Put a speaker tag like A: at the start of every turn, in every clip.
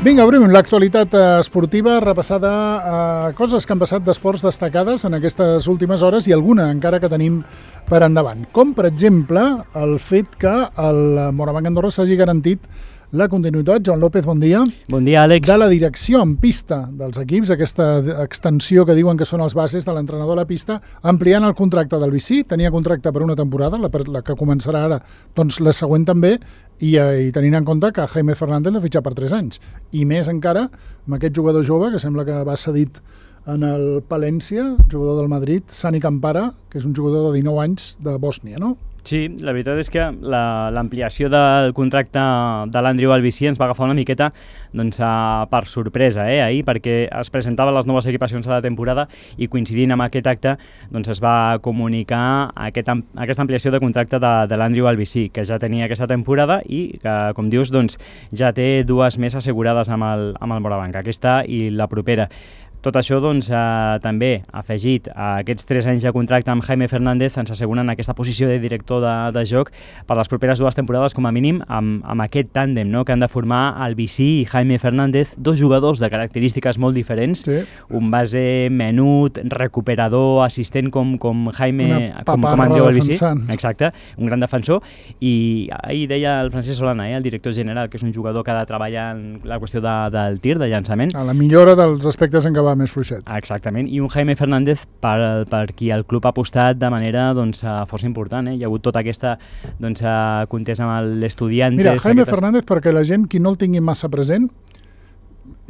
A: Vinga, obrim l'actualitat esportiva repassada a coses que han passat d'esports destacades en aquestes últimes hores i alguna encara que tenim per endavant. Com, per exemple, el fet que el Morabanc Andorra s'hagi garantit la continuïtat. Joan López, bon dia.
B: Bon dia, Àlex.
A: De la direcció en pista dels equips, aquesta extensió que diuen que són els bases de l'entrenador a la pista, ampliant el contracte del Vicí, tenia contracte per una temporada, la que començarà ara, doncs la següent també, i tenint en compte que Jaime Fernández l'ha fitxat per 3 anys. I més encara amb aquest jugador jove, que sembla que va cedit en el Palència, jugador del Madrid, Sani Campara, que és un jugador de 19 anys de Bòsnia, no?
B: Sí, la veritat és que l'ampliació del contracte de l'Andriu Albicí ens va agafar una miqueta per sorpresa ahir, perquè es presentaven les noves equipacions de la temporada i coincidint amb aquest acte es va comunicar aquesta ampliació de contracte de l'Andriu Albicí, que ja tenia aquesta temporada i que, com dius, ja té 2 més assegurades amb el Morabanc, aquesta i la propera. Tot això també afegit a aquests 3 anys de contracte amb Jaime Fernández ens asseguren aquesta posició de director de joc per les properes 2 temporades com a mínim amb aquest tàndem, no?, que han de formar Albicí i Jaime Fernández, 2 jugadors de característiques molt diferents, sí. Un base menut, recuperador, assistent com Jaime, com Andreu Albicí, exacte, un gran defensor, i ahir deia el Francesc Solana, el director general, que és un jugador que ha de treballar en la qüestió del tir, de llançament.
A: A la millora dels aspectes en què va més fluixet.
B: Exactament, i un Jaime Fernández per qui el club ha apostat de manera força important. Hi ha hagut tota aquesta contesa amb l'Estudiantes.
A: Mira, Jaime Fernández, perquè la gent qui no el tingui massa present,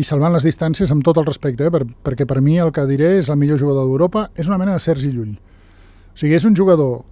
A: i salvant les distàncies amb tot el respecte, perquè per mi el que diré és el millor jugador d'Europa, és una mena de Sergi Llull. O sigui, és un jugador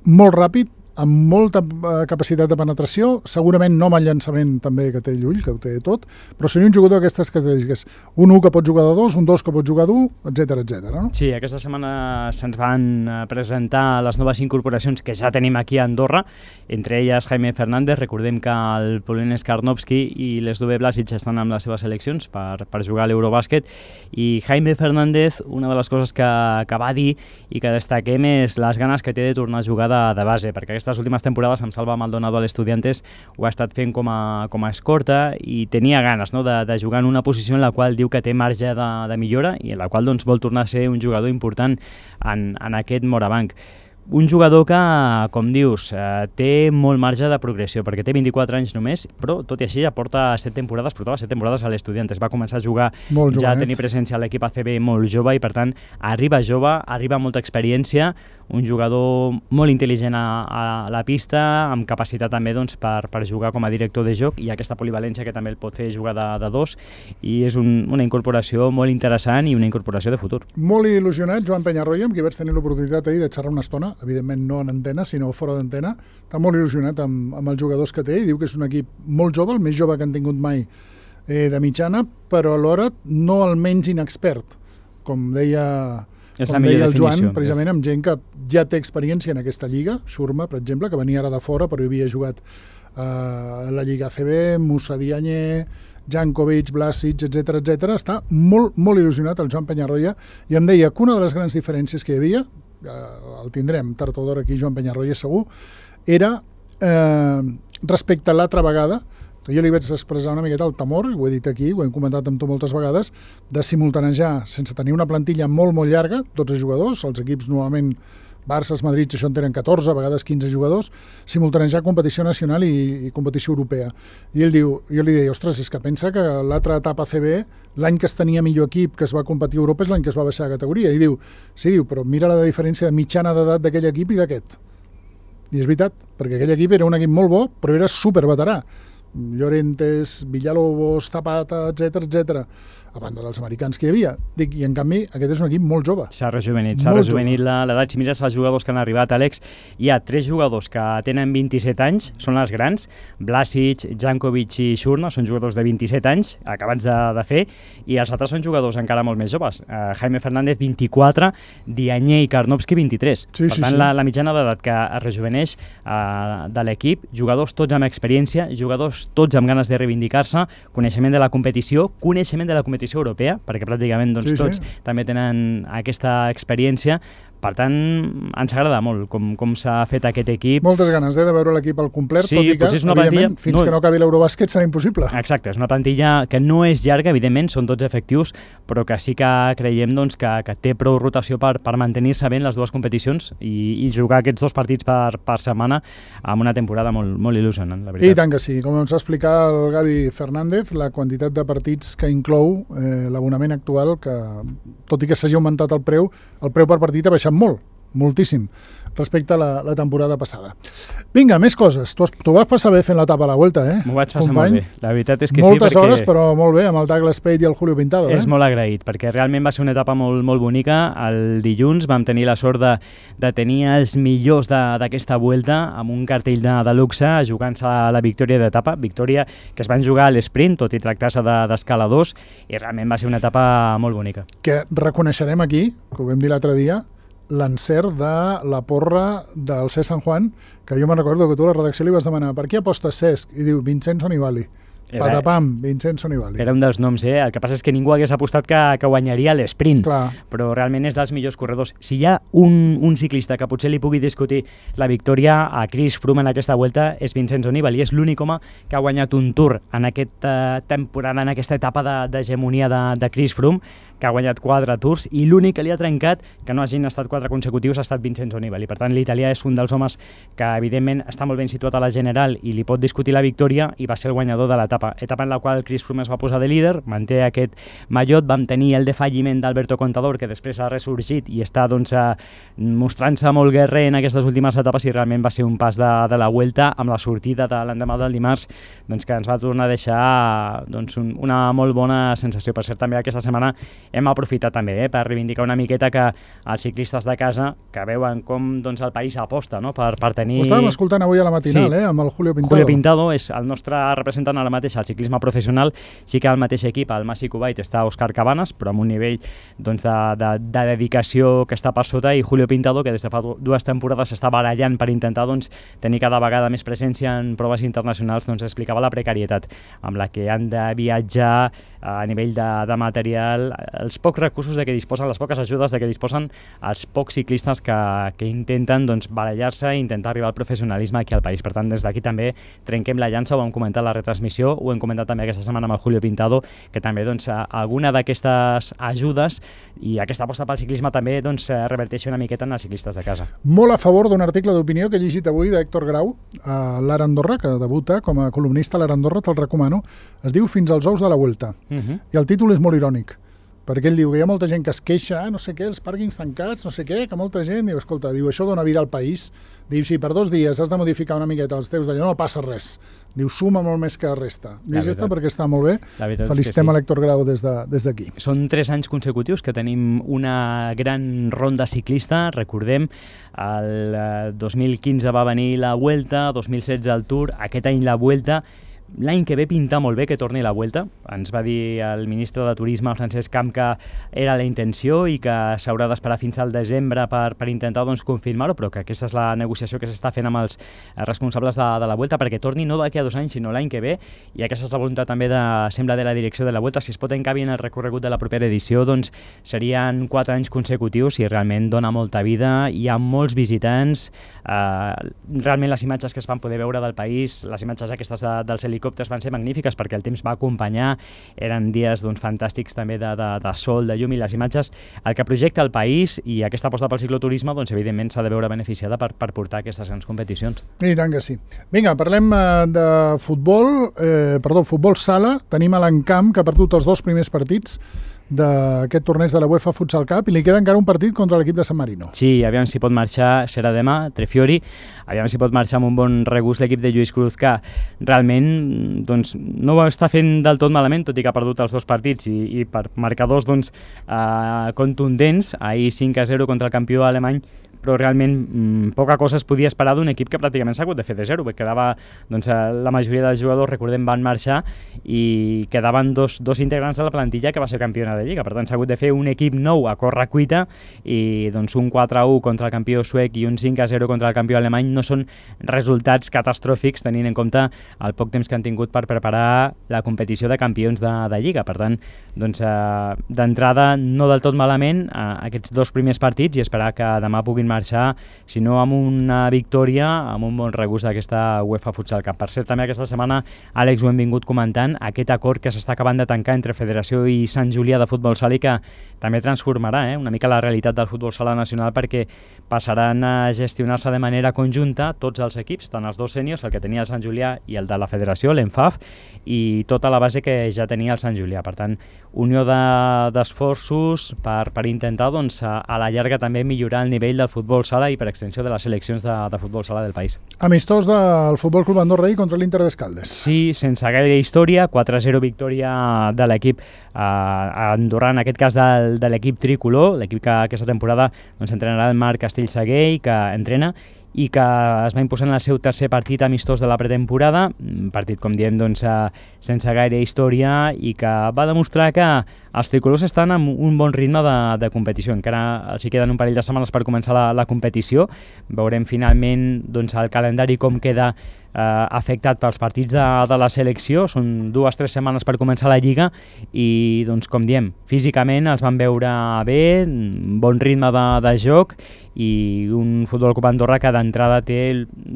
A: molt ràpid, amb molta capacitat de penetració, segurament no amb el llançament també que té Llull, que ho té tot, però seria un jugador d'aquestes característiques. Un 1 que pot jugar de 2, un 2 que pot jugar d'1, etc. No?
B: Sí, aquesta setmana se'ns van presentar les noves incorporacions que ja tenim aquí a Andorra, entre elles Jaime Fernández. Recordem que el Polonès Karnovski i l'Sdove Blasic estan amb les seves seleccions per jugar a l'Eurobàsquet, i Jaime Fernández, una de les coses que va dir i que destaquem és les ganes que té de tornar a jugar de base, perquè aquestes últimes temporades amb Salva Maldonado a l'Estudiantes ho ha estat fent com a escorta i tenia ganes, no?, de jugar en una posició en la qual diu que té marge de millora i en la qual vol tornar a ser un jugador important en aquest Morabanc. Un jugador que, com dius, té molt marge de progressió, perquè té 24 anys només, però tot i així ja portava 7 temporades a l'Estudiantes. Va començar a jugar ja a tenir presència a l'equip ACB molt jove i, per tant, arriba jove, arriba amb molta experiència, un jugador molt intel·ligent a la pista, amb capacitat també per jugar com a director de joc i aquesta polivalència que també el pot fer jugar de 2, i és una incorporació molt interessant i una incorporació de futur.
A: Molt il·lusionat, Joan Peñarroya, amb qui vaig tenir l'oportunitat ahir de xerrar una estona, evidentment no en antena, sinó fora d'antena. Està molt il·lusionat amb els jugadors que té i diu que és un equip molt jove, el més jove que han tingut mai de mitjana, però alhora no el menys inexpert, com deia el Joan, precisament amb gent que ja té experiència en aquesta lliga. Xurma, per exemple, que venia ara de fora però havia jugat a la Lliga ACB, Moussa Diagne, Jankovic, Blasic, etc. Està molt, molt il·lusionat el Joan Peñarroya, i em deia que una de les grans diferències que hi havia, el tindrem tard o d'hora aquí, Joan Peñarroya segur, era respecte a l'altra vegada, jo li vaig expressar una miqueta el temor, ho he dit aquí, ho hem comentat amb tu moltes vegades, de simultanejar, sense tenir una plantilla molt, molt llarga, 12 jugadors, els equips normalment Barça, Madrid, això en tenen 14, a vegades 15 jugadors, simultanejar competició nacional i competició europea. I ell diu, jo li deia, ostres, és que pensa que l'altra etapa CB, l'any que es tenia millor equip que es va competir a Europa és l'any que es va baixar de categoria. I diu, sí, però mira la diferència de mitjana d'edat d'aquell equip i d'aquest. I és veritat, perquè aquell equip era un equip molt bo, però era superveterà. Llorentes, Villalobos, Zapata, etc., a banda dels americans que hi havia. I en canvi aquest és un equip molt jove.
B: S'ha rejuvenit l'edat. Si mires els jugadors que han arribat, Àlex, hi ha 3 jugadors que tenen 27 anys, són els grans, Blasic, Jankovic i Xurna, són jugadors de 27 anys, acabats de fer, i els altres són jugadors encara molt més joves. Jaime Fernández, 24, Diagne i Karnovski, 23. Per tant, la mitjana d'edat que es rejuveneix de l'equip, jugadors tots amb experiència, jugadors tots amb ganes de reivindicar-se, coneixement de la competició europea, perquè pràcticament tots també tenen aquesta experiència, Per tant, ens agrada molt com s'ha fet aquest equip.
A: Moltes ganes de veure l'equip al complet,
B: sí,
A: tot i que, evidentment, fins que no acabi l'Eurobàsquet serà impossible.
B: Exacte, és una plantilla que no és llarga, evidentment, són 12 efectius, però que sí que creiem doncs, que té prou rotació per mantenir-se bé en les dues competicions i jugar aquests 2 partits per setmana amb una temporada molt il·lusionant, la veritat.
A: I tant que sí. Com ens va explicar el Gavi Fernández, la quantitat de partits que inclou l'abonament actual, que tot i que s'hagi augmentat el preu per partit ha baixat molt, moltíssim, respecte a la temporada passada. Vinga, més coses. Tu vas passar bé fent l'etapa a la Vuelta,
B: M'ho vaig passar
A: company?
B: molt bé. La veritat és que
A: Moltes
B: sí, perquè...
A: hores, però molt bé, amb el Douglas Spade i el Julio Pintado.
B: És molt agraït, perquè realment va ser una etapa molt bonica. El dilluns vam tenir la sort de tenir els millors d'aquesta Vuelta amb un cartell de luxe jugant-se la victòria d'etapa, victòria que es van jugar a l'esprint, tot i tractar-se d'escaladors, i realment va ser una etapa molt bonica.
A: Que reconeixerem aquí, que ho vam dir l'altre dia, l'encert de la porra del Cesc San Juan, que jo me'n recordo que tu a la redacció li vas demanar per qui apostes, Cesc? I diu Vincenzo Nibali. Patapam, Vincenzo Nibali.
B: Era un dels noms, El que passa és que ningú hagués apostat que guanyaria l'esprint,
A: Clar.
B: Però realment és dels millors corredors. Si hi ha un ciclista que potser li pugui discutir la victòria a Chris Froome en aquesta Vuelta és Vincenzo Nibali. És l'únic home que ha guanyat un Tour en aquesta temporada, en aquesta etapa d'hegemonia de Chris Froome, que ha guanyat 4 Tours, i l'únic que li ha trencat, que no hagin estat 4 consecutius, ha estat Vincenzo Nibali. Per tant, l'italià és un dels homes que, evidentment, està molt ben situat a la general i li pot discutir la victòria, i va ser el guanyador de l'etapa en la qual Chris Froome es va posar de líder, manté aquest mallot. Vam tenir el defalliment d'Alberto Contador, que després ha ressorgit i està mostrant-se molt guerrer en aquestes últimes etapes, i realment va ser un pas de la Vuelta amb la sortida de l'endemà del dimarts, que ens va tornar a deixar una molt bona sensació. Per cert, també aquesta setmana hem aprofitat també per reivindicar una miqueta que els ciclistes de casa, que veuen com el país aposta per tenir...
A: Ho estàvem escoltant avui a la matinal,
B: sí.
A: Amb el Julio Pintado.
B: Julio Pintado és el nostre representant ara mateix al ciclisme professional. Sí que al mateix equip, al Masi Kuwait, està Òscar Cabanes, però amb un nivell de dedicació que està per sota, i Julio Pintado, que des de fa 2 temporades s'està barallant per intentar tenir cada vegada més presència en proves internacionals, explicava la precarietat amb la que han de viatjar a nivell de material, els pocs recursos de què disposen, les poques ajudes de què disposen els pocs ciclistes que intenten barallar-se i intentar arribar al professionalisme aquí al país. Per tant, des d'aquí també trenquem la llança, ho hem comentat a la retransmissió, ho hem comentat també aquesta setmana amb el Julio Pintado, que també alguna d'aquestes ajudes i aquesta aposta pel ciclisme també reverteixi una miqueta en els ciclistes de casa.
A: Molt a favor d'un article d'opinió que he llegit avui d'Héctor Grau a l'Ara Andorra, que debuta com a columnista a l'Ara Andorra, te'l recomano. Es diu Fins als ous de la Vuelta. I el títol és molt irònic, perquè ell diu que hi ha molta gent que es queixa, no sé què, els pàrquings tancats, no sé què, que molta gent diu, escolta, això dona vida al país. Diu, si per 2 dies has de modificar una miqueta els teus d'allò, no passa res. Diu, suma molt més que resta. Llegeix-te perquè està molt bé. Felicitem a l'Héctor Grau des d'aquí.
B: Són 3 anys consecutius que tenim una gran ronda ciclista. Recordem, el 2015 va venir la Vuelta, 2016 el Tour, aquest any la Vuelta. L'any que ve pinta molt bé que torni la Vuelta. Ens va dir el ministre de Turisme, Francesc Camp, que era la intenció i que s'haurà d'esperar fins al desembre per intentar confirmar-ho, però que aquesta és la negociació que s'està fent amb els responsables de la Vuelta perquè torni no d'aquí a 2 anys, sinó l'any que ve, i aquesta és la voluntat també sembla de la direcció de la Vuelta. Si es pot encabir en el recorregut de la propera edició, serien 4 anys consecutius i realment dona molta vida. Hi ha molts visitants, realment les imatges que es van poder veure del país, les imatges aquestes dels helicòpters van ser magnífiques perquè el temps va acompanyar, eren dies fantàstics també de sol, de llum, i les imatges, el que projecta el país i aquesta aposta pel cicloturisme, evidentment s'ha de veure beneficiada per portar aquestes grans competicions.
A: I tant que sí. Vinga, parlem de futbol, futbol sala. Tenim a l'Encamp, que ha perdut els 2 primers partits d'aquest torneig de la UEFA Futsal Cup, i li queda encara un partit contra l'equip de San Marino.
B: Sí, aviam si pot marxar, serà demà, Trefiori, aviam si pot marxar amb un bon regust l'equip de Lluís Cruz, que realment no ho està fent del tot malament, tot i que ha perdut els 2 partits i per marcadors contundents. Ahir 5-0 contra el campió alemany, però realment poca cosa es podia esperar d'un equip que pràcticament s'ha hagut de fer de zero, perquè quedava, doncs, la majoria dels jugadors, recordem, van marxar i quedaven dos integrants de la plantilla que va ser campiona de Lliga. Per tant, s'ha hagut de fer un equip nou a córrer cuita i doncs, un 4-1 contra el campió suec i un 5-0 contra el campió alemany no són resultats catastròfics tenint en compte el poc temps que han tingut per preparar la competició de campions de Lliga. Per tant, doncs, d'entrada no del tot malament aquests dos primers partits i esperar que demà puguin marxar, si no amb una victòria, amb un bon regust d'aquesta UEFA Futsal Cup. Per cert, també aquesta setmana, Àlex, ho hem vingut comentant, aquest acord que s'està acabant de tancar entre Federació i Sant Julià de Futbol Sala i que també transformarà una mica la realitat del futbol sala nacional, perquè passaran a gestionar-se de manera conjunta tots els equips, tant els dos sèniors, el que tenia el Sant Julià i el de la Federació, l'ENFAF, i tota la base que ja tenia el Sant Julià. Per tant, unió d'esforços per intentar, doncs, a la llarga també millorar el nivell del futbol sala i per extensió de les seleccions de futbol sala del país.
A: Amistós del Futbol Club Andorra ahir contra l'Inter d'Escaldes.
B: Sí, sense gaire història, 4-0 victòria de l'equip andorrà, en aquest cas de l'equip tricolor, l'equip que aquesta temporada doncs, entrenarà el Marc Castellsaguer, que entrena, i que es va imposar en el seu tercer partit amistós de la pretemporada, un partit, com diem, doncs, sense gaire història, i que va demostrar que els tricolors estan amb un bon ritme de competició. Encara els hi queden un parell de setmanes per començar la competició. Veurem finalment, doncs, el calendari com queda afectat pels partits de la selecció. Són 2 o 3 setmanes per començar la Lliga i, doncs, com diem, físicament els van veure bé, bon ritme de joc i un Futbol Club Andorra que d'entrada té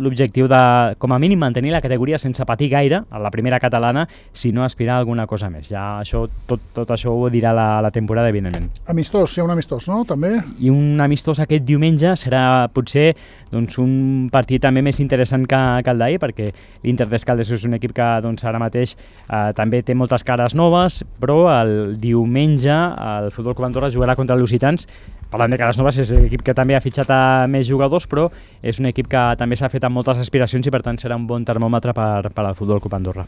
B: l'objectiu de, com a mínim, mantenir la categoria sense patir gaire a la primera catalana, si no aspirar a alguna cosa més. Ja això, tot això ho dirà la temporada, evidentment.
A: Amistós, hi ha un amistós, no? També?
B: I un amistós aquest diumenge serà potser, doncs, un partit també més interessant que el d'ahir, perquè l'Inter d'Escaldes és un equip que, doncs, ara mateix també té moltes cares noves, però el diumenge el Futbol Club Andorra jugarà contra els lusitans. Parlant de cares noves, és l'equip que també ha fitxat a més jugadors, però és un equip que també s'ha fet amb moltes aspiracions i per tant serà un bon termòmetre per al Futbol Club Andorra.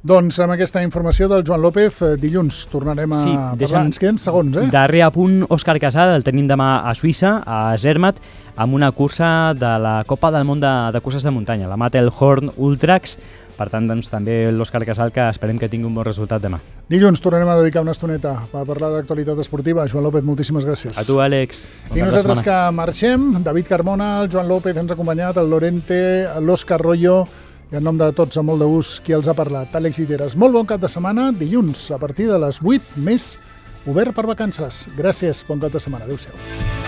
A: Doncs amb aquesta informació del Joan López, dilluns tornarem a parlar. Ens queden segons,
B: Darrer apunt, Òscar Casal, el tenim demà a Suïssa, a Zermatt, amb una cursa de la Copa del Món de curses de muntanya, la Matterhorn Ultrax. Per tant, doncs, també l'Òscar Casal, que esperem que tingui un bon resultat demà.
A: Dilluns tornarem a dedicar una estoneta a parlar d'actualitat esportiva. Joan López, moltíssimes gràcies.
B: A tu, Àlex.
A: I nosaltres que marxem, David Carmona, el Joan López ens ha acompanyat, el Lorente, l'Òscar Royo, i en nom de tots, amb molt de gust, qui els ha parlat, Àlex Lliteres. Molt bon cap de setmana, dilluns, a partir de les 8, més obert per vacances. Gràcies, bon cap de setmana. Adéu-siau.